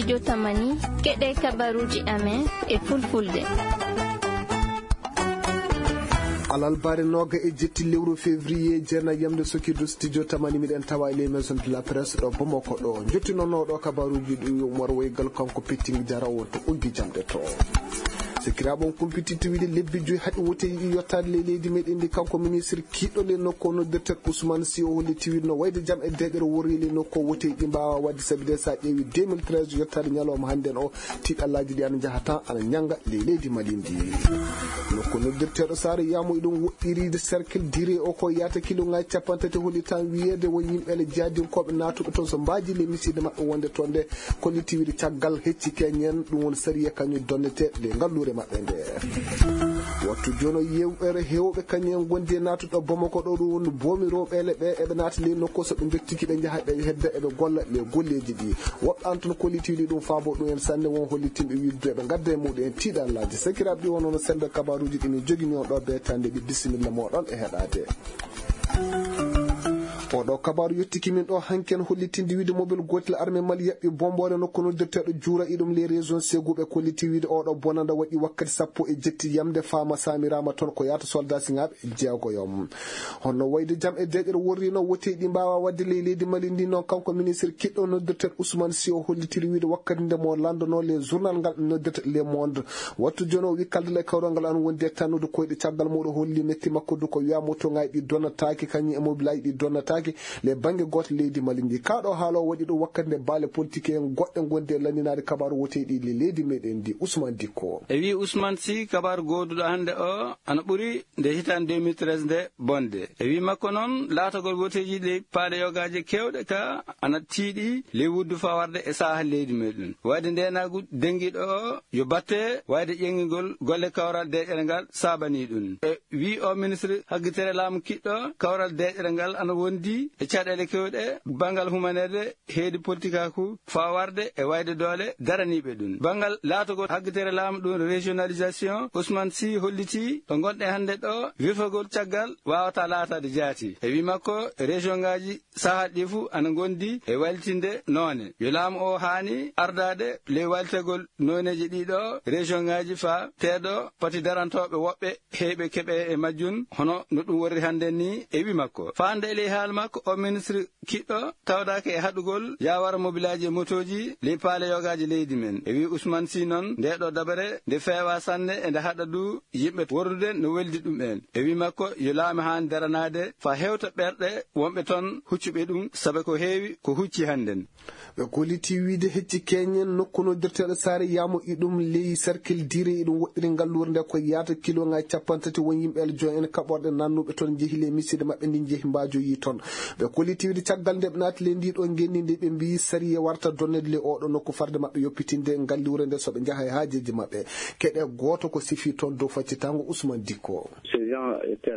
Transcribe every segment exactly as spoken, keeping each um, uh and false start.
Jotamani, keɗe kabaruuji amen e fulfulde. Alalbaare nooga e jetti lewru février, jeenayi yamde sokirdu studio tamani, miɗen tawa e les maisons de la presse ɗo Bamako ɗo. Jottinonooɗo kabaruuji ɗi Umar Waygal, kanko Pitting Jara wonto uggi jamɗe to. Sikiraaɓe on kumpititti wiide lebbi joyi haɗi woteeji ɗi yottaade ley leydi meɗen ndi, kanko ministre kiiɗo ley nokku o noddirten Ousmane Sy, o holliti wiide no wayde jam e deeƴere worri ley nokku o woteeji ɗi mbaawa waɗde, sabi de so a ƴeewi deux mille treize yottaade ñalawma hannden o, tiiɗallaaji ɗi ana njaha tan ana ñannga ley leydi Mali ndi. Nokku noddirteeɗo Saare Yaamu, iɗum woɗɗiriide cercle Dire o ko yaata kiloŋaaji capanɗe tati, holli tan wiyeede won yimɓe ele jaadinkooɓe naatuɓe toon so mbaaji ley misiide maɓɓe wonde toon nde, kolliti wiide caggal hecci keñen, ɗum woni sariya kañum donnete ley ngalluure maɓɓe nde. Wattu jooni o yewɓere heewɓe kañum en ngondi e naatude ɗo Bamako ɗo, ɗum woni boomi rewɓe ele ɓe eɓe naata ley nokku so ɓe njottiki ɓe njaha ɓe hedda eɓe golla ley golleeji ɗi. Woɓɓe an toon kolliti wiide ɗum faabo ɗum en sanne, won hollitinɓe wiide eɓe ngadda e muɗum en tiiɗallaaji. Sakiraaɓe ɗi wonno no semmbe kabaruuji ɗi min jogini on ɗo beetande ɗi, bisimilla mooɗon e heɗaade. Oɗo kabaru yottiki min ɗo hanki en hollitinde wiide mobile gootel armée Mali yaɓɓi bomboore nokku noddirteeɗo Juura iɗum ley région Ségou, ɓe kolliti wiide oɗo bonanda waɗi wakkati sappo e jetti yamde faama samiraama toon ko yaata soldat siŋaaɓe jeegoyo. Honno wayde jam e deeƴere worri no woteeji ɗi mbaawa waɗde ley leydi Mali ndi noon, kanko ministre kiɗɗo noddirteeɗo Ousmane Sy o hollitiri wiide wakkati nde mo lanndonoo ley journal ngal noddirta Le Monde. Wattu jooni o wi kalde le kawral ngal ana wondi e tannude koyɗe caggal muɗum holli metti makko du ko wiya motoŋaaji ɗi donnataake kañum e mobilaaji ɗi donnataake le bannge gooto leydi Mali ndi. Kaa ɗo haala o waɗi ɗum wakkati nde baale politique en goɗɗe ngondi e lanndinaade kabaaru woteeɗi le leydi meɗen ndi. Ousmane Dikko. E wi Ousmane Sy, kabaaru gooduɗo hannde o ana ɓuri nde hitaande deux mille treize nde bonde. E wi makko noon, laatagol woteeji ley paale yogaaje keewɗe ka ana tiiɗi ley wuddu fawarde e saaha leydi meɗen. Wayde ndeenaagu dengiiɗo o yo batte wayde ƴeŋngingol golle kawral deeƴere ngal saabanii ɗum. E wi o ministre haggitere laamu kiɗɗo kawral deeƴere ngal ana wondi e caɗeele keewɗe banngal humanerde, heedi politikaaku, fawarde e wayde doole daraniiɓe ɗum. Banngal laatagol haggitere laamu ɗum régionalisation, Ousmane Sy holliti ɗo ngonɗe hannde ɗo wefagol caggal waawata laataade jaati. E wi makko, région ngaaji sahaaji ɗi fof ana ngondi e waylitinde noone. Yo laamu o haani ardaade ley waylitegol nooneeji ɗiɗo région ngaaji fa teedo pati darantooɓe woɓɓe heyɓe keɓe e majjum, hono no ɗum worri hannde ni e wi makko. Faande e ley haala makko, o ministre kiɗɗo tawdaake e haɗugol yaawara mobilaaji e motooji ley paale yogaaji leydi men. E wi Ousmane Sy noon, nde ɗo dabare nde feewa sanne e nde haɗa du yimɓe worrude no weldi ɗum en. E wi makko, yo laamu haan daranaade fa hewta ɓerɗe wonɓe toon huccuɓe ɗum, sabe ko heewi ko hucci hannden. Ɓe kolliti wiide hecci keñen nokku noddirteeɗo Saare Yaamu iɗum ley cercle Dire iɗum woɗɗiri ngalluure nde ko yaata kiloŋaaji capanɗe tati won yimɓe ele joyi en kaɓorɗe nannuɓe toon njehi ley misiide maɓɓe ndi njehi mbaajoyi toon. Ɓe kolliti wiide caggal nde ɓe naati ley ndi ɗo ngenndi ndi ɓe mbiyi sariya warta donnede ley oɗo nokku farde maɓɓe yoppitinde ngalluure nde so ɓe njaha e haajeeji maɓɓe. Keɗe gooto ko sifi toon dow faccitaango Ousmane Dikko.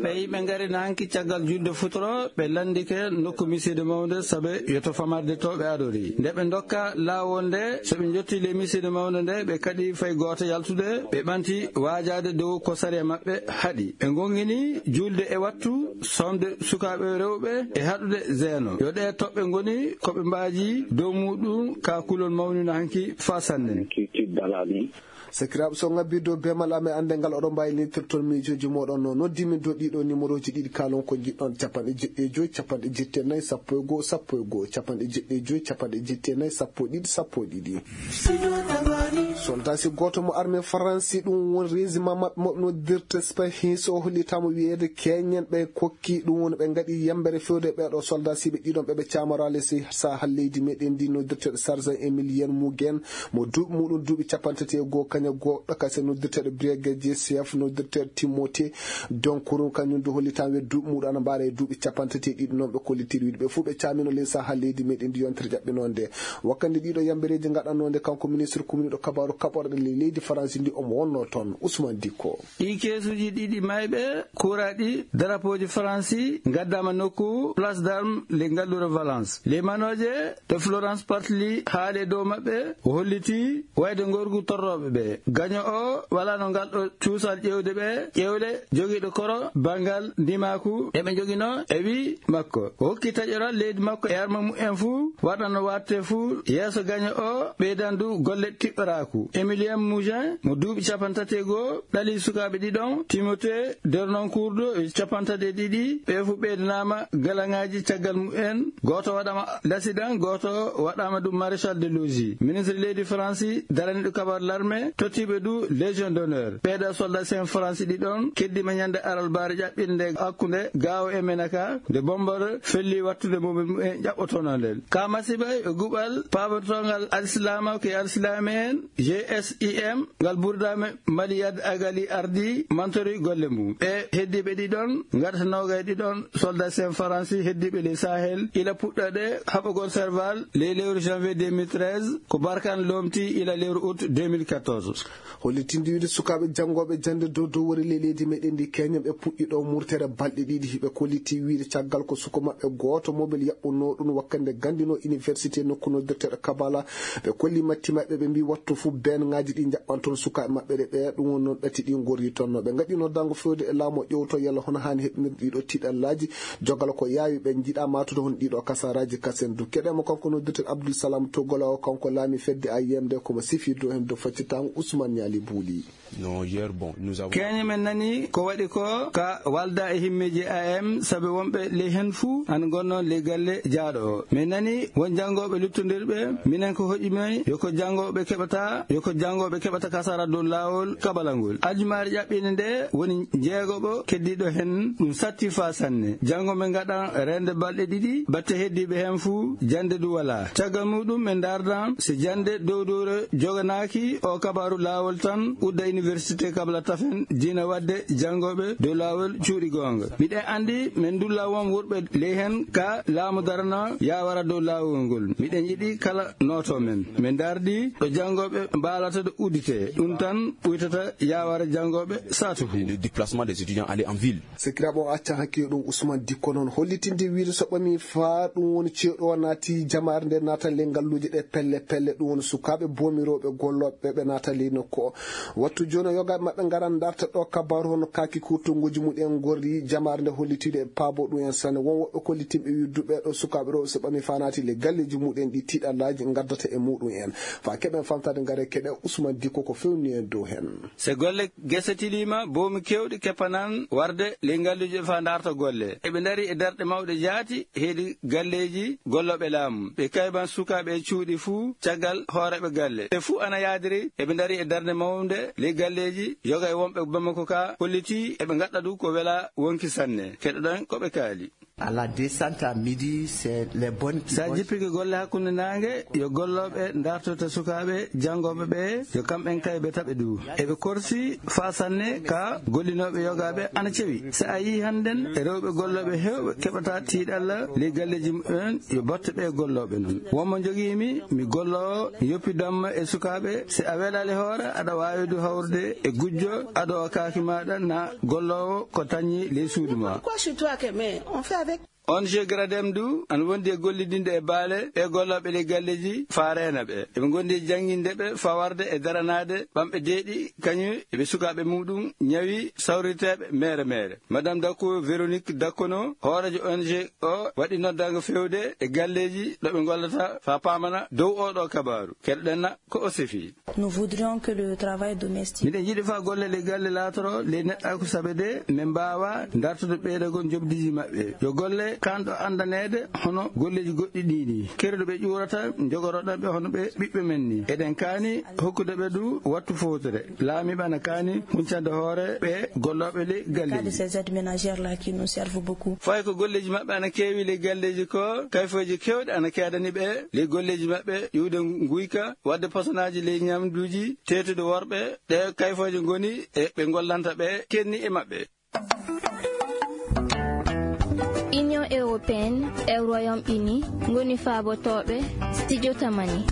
Ɓe yimɓe ngari na hanki caggal julde futuro, ɓe lanndike nokku misiide mawnde sabe yo to famarde to ɓe adori. Nde ɓe ndokka laawol nde, so ɓe njotti ley misiide mawnde nde, ɓe kaɗi fay gooto yaltude, ɓe ɓanti waajaade dow ko sariya maɓɓe haɗi. Ɓe ngongini julde e wattu, somde sukaaɓe rewɓe e haɗude zeeno. Yo ɗee toɓɓe ngoni ko ɓe mbaaji dow muɗum ka kulol mawnino hanki faa sanne. Sakiraaɓe, so ngabbii dow beemal am e annde ngal, oɗon mbaawi liñtirde toon miijooji mooɗon no noddi min dow ɗiɗo numéroji ɗiɗi, kaalon ko njiɗɗon, capanɗe jeɗɗi e joy, capanɗe jeɗɗi e nayi, sappo e goo, sappo e goo, capanɗe jeɗɗi e joy, capanɗe jeɗɗi e nayi, sappo e ɗiɗi, sappo e ɗiɗi. Soldat si gooto mo armée Faransi, ɗum woni régiment maɓɓe mo noddirte Spahis, o hollitaama wiyeede keñen ɓe kokki, ɗum woni ɓe ngaɗi yambere fewde ɓeeɗo soldat siɓe ɗiɗon ɓe ɓe caamaraale si sahal leydi meɗen ndi noddirteeɗo Sergent Emilien Mugen, mo duuɓi muɗum duuɓi capanɗe tati e goo, kaña goɗɗo kasi noddirteeɗo brigadier chef noddirteeɗo Timothée Donkourou, kañum du hollitan we duuɓi muɗum ana mbaara e duuɓi capanɗe tati e ɗiɗi. Noon ɓe kollitiri wiide ɓe fof ɓe caamino ley sahal leydi meɗen ndi yontere jaɓɓinoo nde. Wakkati ɗiɗo yambereeji ngaɗannoo nde, kanko ministre kumniiɗo kabaaru kaɓorɗe ley leydi Faransi ndi omo wonnoo toon. Usman Dikko. Ɗii keesuuji ɗiɗi maayɓe kuuraaɗi darapooji Faransi ngaddaama nokku Place d'Armes ley ngalluure Valence. Ley manooje to Florence Partly haali e dow maɓɓe, o holliti wayde ngorgu torrooɓe ɓe. Gaño o walaano ngal ɗo cuusal ƴeewde ɓe, ƴeewle jogiiɗo koro banngal ndimaaku ɗe ɓe njoginoo e wii makko. O hokki taƴoral leydi makko e arma mumen fuu, waɗano waɗte fuu yeeso gaño o ɓeydandu golle tiɓɓoraaku. Emilien Mougin mo duuɓi capanɗe tati e goo ɗali sukaaɓe ɗiɗon, Timothée Dernancourt e capanɗe tati e ɗiɗi, ɓe fuu ɓeydanaama galaŋaaji caggal mumen. Gooto waɗaama l'accident, gooto waɗaama ɗum maréchal de logis. Ministre leydi Faransi daraniiɗo kabaru l'armée tottiiɓe du Légion d'honneur. Ɓeeɗo soldat sen Faransi ɗiɗon keddiima ñande alarbaare ƴaɓɓinde nde hakkunde Gao e Menaka, nde bombere felli wattude mo ɓe mumen ƴaɓɓotono nden. Ka masiiba e guɓal paabotoongal Alsilaama ko e Alsilaame en, G S I M, ngal burdaame Mali Yad Agali ardi mantori golle mum. Ɓe heddiiɓe ɗiɗon ngarta noogay ɗiɗon soldat sen Faransi heddiiɓe ley Sahel ila puɗɗoɗe haɓogol Serval ley lewru janvier deux mille treize, ko Barkhane loomti ila lewru août deux mille quatorze. Hollitinde wiide sukaaɓe janngooɓe jannde dow dow wori ley leydi meɗen ndi Kenya, ɓe puɗɗi ɗo murtere balɗe ɗiɗi. Hiɓe kolliti wiide caggal ko suko maɓɓe gooto mobel yaɓɓunoo ɗum wakkande gandino université nokku noddirteeɗo Kabala. Ɓe kolli matti maɓɓe, ɓe mbi wattu fu ben ŋaaji ɗi jaɓɓanton sukaaɓe maɓɓe ɗe ɓeya. Ɗum woni noon ɗati ɗi ngorri tonno. Ɓe ngaɗi noddango fewde e laamu o ƴewto yalla hono haani heɓnirde ɗiɗo tiiɗallaaji, jogal ko yaawi ɓe njiɗa matude hon ɗiɗo kasaraaji kasen du. Keɗemo kanko noddirteeɗo Abdul Salam Togolawo, kanko laami fedde A I M D, komo sifi dow hen dow faccitango Ousmane Niali Bouli. Non, hier, bon, nous avons Keñe men nani ko waɗi ko ka walda e himmeeji A M, sabe wonɓe ley hen fuu ana ngonnoo ley galle jaaɗo o. Men nani won janngooɓe luttondirɓe, minen ko hoƴi men yo ko janngooɓe keɓata, yo ko janngooɓe keɓata kasara dow laawol kaɓalangol. Aljumaare ƴaɓɓiinde nde woni jeegoɓo keddiiɗo hen, ɗum satti faa sanne. Janngo men ngaɗan reende balɗe ɗiɗi, batte heddiiɓe hen fuu jannde du walaa. Caggal muɗum men ndaardan si jannde dow dowre joganaaki o kabaaru laawol tan udda université Kabla Tafen diina waɗde janngooɓe dow laawol cuuɗi goonga. Miɗen anndi men ndulla won wurɓe ley hen ka laamu darana yaawara dow laawol ngol. Miɗen yiɗi kala nooto men. Men ndaardi ɗo janngooɓe mbaalata ɗo udditee. Ɗum tan ɓuytata yaawara janngooɓe saatu fuu. Le déplacement des étudiants aller en ville. Sekiraaɓe o acca hakkille ɗum Ousmane Dikko noon hollitinde wiide so ɓami faa ɗum woni ceeɗu o naati jamaare nde naata ley ngalluuje ɗe pelle pelle, ɗum woni sukaaɓe boomirooɓe gollooɓe ɓe naata ley nokku o. Wattu jooni o yogaaɓe maɓɓe ngaran ndarta ɗo kabaaru hono kaaki kuutonguuji muɗen ngorri jamaare nde hollitiiɗo e paabo ɗum en sanne. Won woɓɓe kollitinɓe wiide du ɓee ɗo sukaaɓe rewɓe so ɓami faa naati ley galleeji muɗen ɗi tiiɗallaaji ngaddata e muɗum en. Faa keɓen famtaade ngare keɗe Ousmane Dikko ko fewni en dow hen. Se golle gese tiliima, boomi keewɗi keppanan warde ley ngalluuje faa ndaarta golle. Eɓe ndarii e darɗe mawɗe jaati heydi galleeji gollooɓe laamu. Ɓe kayban sukaaɓe e cuuɗi fuu caggal hooreeɓe galle. Ɓe fuu ana yaadiri eɓe ndarii e darnde mawnde ley galleeji yoga e wonɓe Bamako ka hollitii eɓe ngaɗɗa du ko wela wonki sanne. Keɗoɗen ko ɓe kaali. À la descente à midi, c'est les bonnes Sa jippike golle hakkunde naange, yo gollooɓe ndartota sukaaɓe janngooɓe ɓe, yo kamɓen kaybe taɓe du. Eɓe korsi faa sanne ka gollinooɓe yogaaɓe ana cewi. Sa a yii hannden rewɓe gollooɓe heewɓe keɓata tiiɗalla ley galleeji mumen, yo batte ɓe gollooɓe non. Wonmo njogiimi, mi golloowo, yoppidamma e sukaaɓe. Si a welaali hoore, aɗa waawi du hawrude e gujjo, ado o kaaki maaɗa na golloowo ko tañi ley suudu ma. Pourquoi chez toi que, mais on fait avec O N G Gradem du ana wondi e gollidinde e baale ɓe gollooɓe ley galleeji faa reena ɓe. Eɓe ngondi e jannginde ɓe faa warde e daranaade ɓamɓe deeɗi kañum e ɓe sukaaɓe muɗum ñawi sawriteeɓe meere meere. Madame Dakko Véronique Dakkono, hooreejo O N G o, waɗi noddaango fewde e galleeji ɗo ɓe ngollata faa paamana dow oo ɗoo kabaaru. Keɗoɗen na ko o sifi. Nous voudrions que le travail domestique Miɗen njiɗi faa golle ɗe galle laatoro ley neɗɗaaku sabe de min mbaawa ndartude ɓeydagol njoɓdiiji maɓɓe. Yo golle kanɗo anndaneede hono golleeji goɗɗi ɗii ni. Kerdu ɓe ƴuurata njogoroɗen ɓe hono ɓe ɓiɓɓe men ni. Eɗen kaani hokkude ɓe du wattu fowtere. Laamiiɓe ana kaani huncande hoore ɓe gollooɓe ley Cas de galleeji. Ces aides ménagères là qui nous servent beaucoup. Fayi ko golleeji maɓɓe ana keewi ley galleeji ko, kayfooji keewɗi ana keedani ɓe ley golleeji maɓɓe, iwde nguyka, waɗde posonaaji ley ñamduuji, teetude worɓe, ɗe kayfooje ngoni e ɓe ngollanta ɓe kenni e maɓɓe. Union européenne e Royaume-Uni ngoni faabotooɓe Studio Tamani.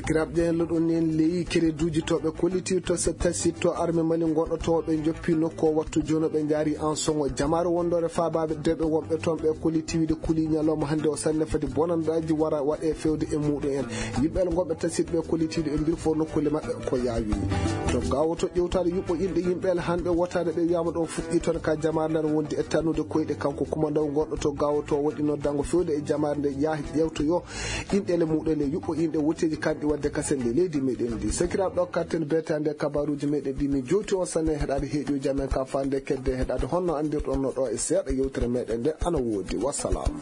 Kiraɓe ƴeeñlo ɗon en leyi kereduuji to ɓe kollitiiɗo to se tasi to arme mali gonɗo to ɓe joppi nokku o wattu jono ɓe njaari en soŋo jamaare wondoore faabaaɓe deɓe wonɓe toon ɓe kollitiiɗo kuli ñalawma hannde o sanne fadi bonandaaji wara waɗe fewde e muɗum en. Yimɓe gonɓe tasiɗ ɓe kollitiiɗo e mbir fof nokkulle maɓɓe ko yaawi. To gawo to ƴewtaade yuɓɓo inɗe yimɓe hannde wotaade ɓe wiyama ɗon fuɗɗi toon ka jamaare nden wondi e tannude koyɗe kanko kumandaw gonɗo to gawo to waɗi noddango fewde e jamaare nde yaha ƴewtoyo inɗele muɗele yuɓɓo inɗe wotteji kanɗi wadde kasen nde leydi meɗen ndi sakiraɓe ɗo katten betande kabaruji meɗen ɗi min jowti on sanne heɗade heeƴoji amen ka fande kedde heɗade honno andirɗon no ɗo e seeɗa yewtere meɗen nde ana woodi wassalam.